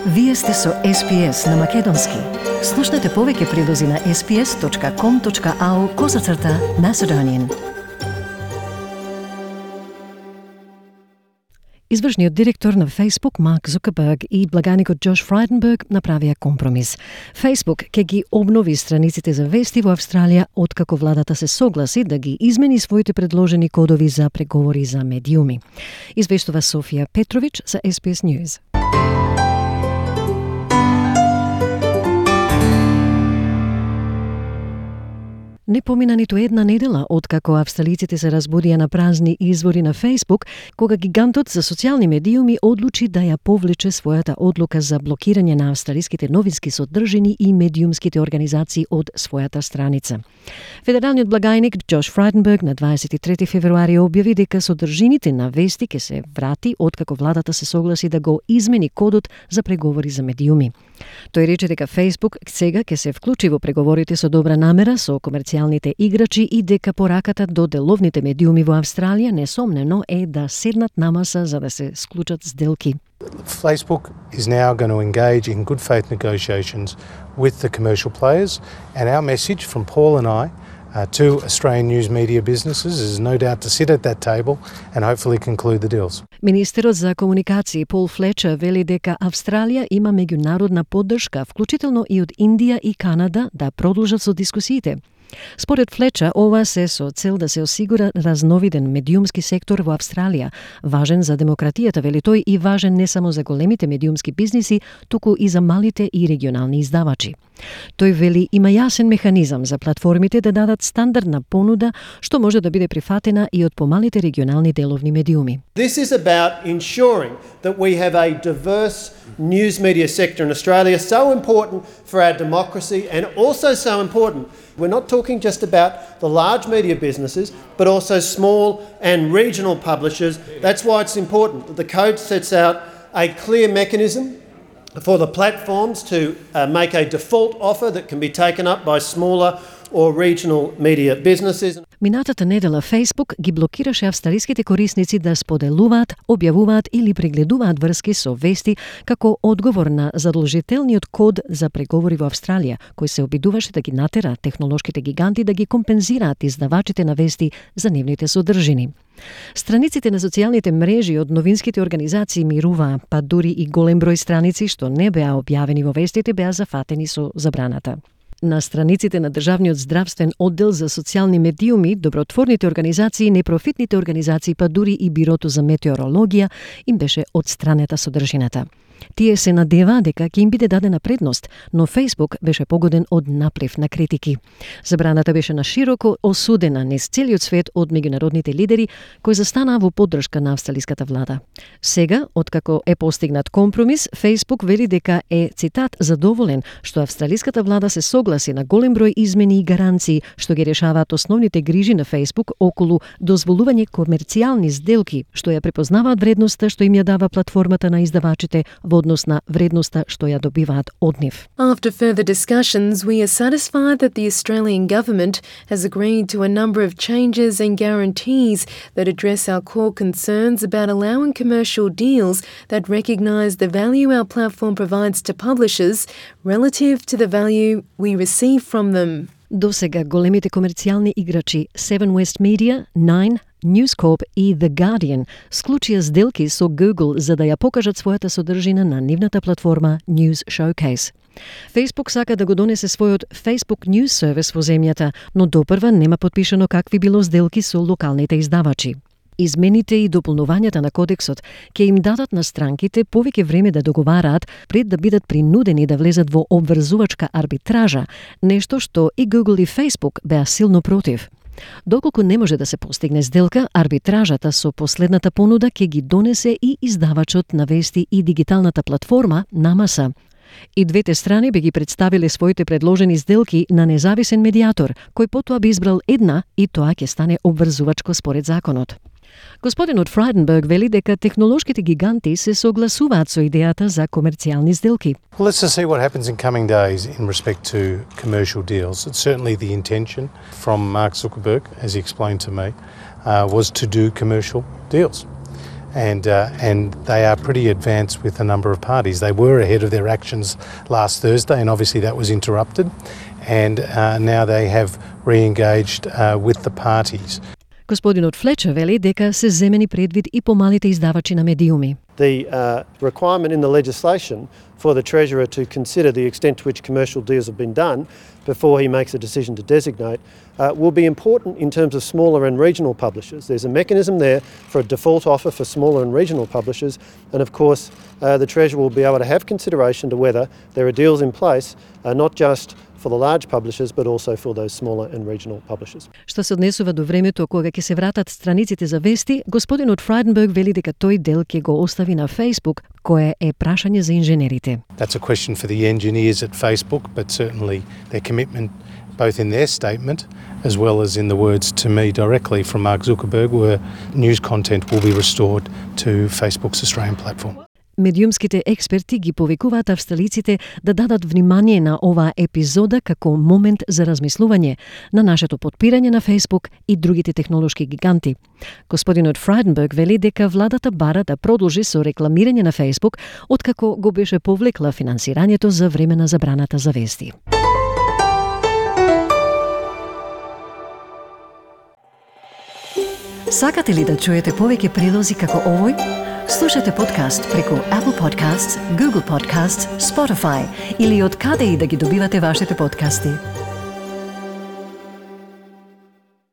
Вие сте со SPS на Македонски. Слушнете повеќе прилози на sps.com.au/Macedonian. Извршниот директор на Facebook, Марк Зукерберг, и благаникот Джош Фрайденберг направија компромис. Facebook ќе ги обнови страниците за вести во Австралија откако владата се согласи да ги измени своите предложени кодови за преговори за медиуми. Извештува Софија Петрович за SBS News. Не помина ниту една недела откако австралиците се разбудија на празни извори на Facebook, кога гигантот за социјални медиуми одлучи да ја повлече својата одлука за блокирање на австралиските новински содржини и медиумските организации од својата страница. Федералниот благајник Джош Фрайденберг на 23 февруари објави дека содржините на вести ќе се врати откако владата се согласи да го измени кодот за преговори за медиуми. Тој рече дека Facebook сега ќе се вклучи во преговорите со добра намера со комерцијалните играчи и дека пораката до деловните медиуми во Австралија несомнено е да седнат на маса за да се склучат сделки. Facebook is now going to engage in good faith negotiations with the commercial players, and our message from Paul and I to Australian news media businesses is no doubt to sit at that table and hopefully conclude the deals. Министерот за комуникации Пол Флечер вели дека Австралија има меѓународна поддршка, вклучително и од Индија и Канада, да продолжат со дискусиите. Според Флечер, ова се со цел да се осигура разновиден медиумски сектор во Австралија, важен за демократијата, вели тој, и важен не само за големите медиумски бизниси, туку и за малите и регионални издавачи. Тој вели има јасен механизам за платформите да дадат стандардна понуда што може да биде прифатена и од помалите регионални деловни медиуми. This is about ensuring that we have a diverse news media sector in Australia, so important for our democracy and also so important. We're not talking just about the large media businesses, but also small and regional publishers. That's why it's important that the code sets out a clear mechanism for the platforms to make a default offer that can be taken up by smaller or regional media businesses. Минатата недела Facebook ги блокираше австралиските корисници да споделуваат, објавуваат или прегледуваат врски со вести како одговор на задолжителниот код за преговори во Австралија, кој се обидуваше да ги натера технолошките гиганти да ги компензираат издавачите на вести за нивните содржини. Страниците на социјалните мрежи од новинските организации мируваа, па дури и голем број страници што не беа објавени во вестите беа зафатени со забраната. На страниците на Државниот здравствен оддел за социјални медиуми, добротворните организации, непрофитните организации, па дури и Бирото за метеорологија им беше одстранета содржината. Тие се надеваа дека ќе им биде дадена предност, но Facebook беше погоден од наплив на критики. Забраната беше на широко осудена низ целиот свет од меѓународните лидери кои застанаа во поддршка на австралиската влада. Сега, откако е постигнат компромис, Facebook вели дека е, цитат, задоволен што австралиската влада се согласи на голем број измени и гаранции што ги решаваат основните грижи на Facebook околу дозволување комерцијални сделки што ја препознаваат вредноста што им ја дава платформата на издавачите во однос на вредноста што ја добиваат од нив. After further discussions, we are satisfied that the Australian government has agreed to a number of changes and guarantees that address our core concerns about allowing commercial deals that recognise the value our platform provides to publishers relative to the value we receive from them. До сега големите комерцијални играчи Seven West Media, Nine, News Corp и The Guardian склучија сделки со Google за да ја покажат својата содржина на нивната платформа News Showcase. Facebook сака да го донесе својот Facebook News сервис во земјата, но допрва нема потпишано какви било сделки со локалните издавачи. Измените и дополнувањата на кодексот ќе им дадат на странките повеќе време да договараат пред да бидат принудени да влезат во обврзувачка арбитража, нешто што и Google и Facebook беа силно против. Доколку не може да се постигне сделка, арбитражата со последната понуда ќе ги донесе и издавачот на вести и дигиталната платформа на маса. И двете страни би ги представиле своите предложени сделки на независен медиатор, кој потоа би избрал една и тоа ќе стане обврзувачко според законот. Господинот Фрайденберг вели дека технолошките гиганти се согласуваат со идејата за комерцијални сделки. Well, let's just see what happens in coming days in respect to commercial deals. It's certainly the intention from Mark Zuckerberg, as he explained to me, was to do commercial deals. and they are pretty advanced with a number of parties. They were ahead of their actions last Thursday, and obviously that was interrupted, and now they have re-engaged with the parties. Господинот Флечер вели дека се земени предвид и помалите издавачи на медиуми. The requirement in the legislation for the Treasurer to consider the extent to which commercial deals have been done before he makes a decision to designate will be important in terms of smaller and regional publishers. There's a mechanism there for a default offer for smaller and regional publishers, and of course the Treasurer will be able to have consideration to whether there are deals in place, not just for the large publishers, but also for those smaller and regional publishers. Што се однесува до времето кога ќе се вратат страниците за вести, господинот Фрайденберг вели дека тој дел ќе го остави на Facebook, кое е прашање за инженерите. That's a question for the engineers at Facebook, but certainly their commitment, both in their statement as well as in the words to me directly from Mark Zuckerberg, were news content will be restored to Facebook's Australian platform. Медиумските експерти ги повикуваат австралиците да дадат внимание на оваа епизода како момент за размислување на нашето подпирање на Facebook и другите технолошки гиганти. Господинот Фрайденберг вели дека владата бара да продолжи со рекламирање на Facebook откако го беше повлекла финансирањето за време на забраната за вести. Сакате ли да чуете повеќе прилози како овој? Слушате подкаст преку Apple Podcasts, Google Podcasts, Spotify или од каде и да ги добивате вашите подкасти.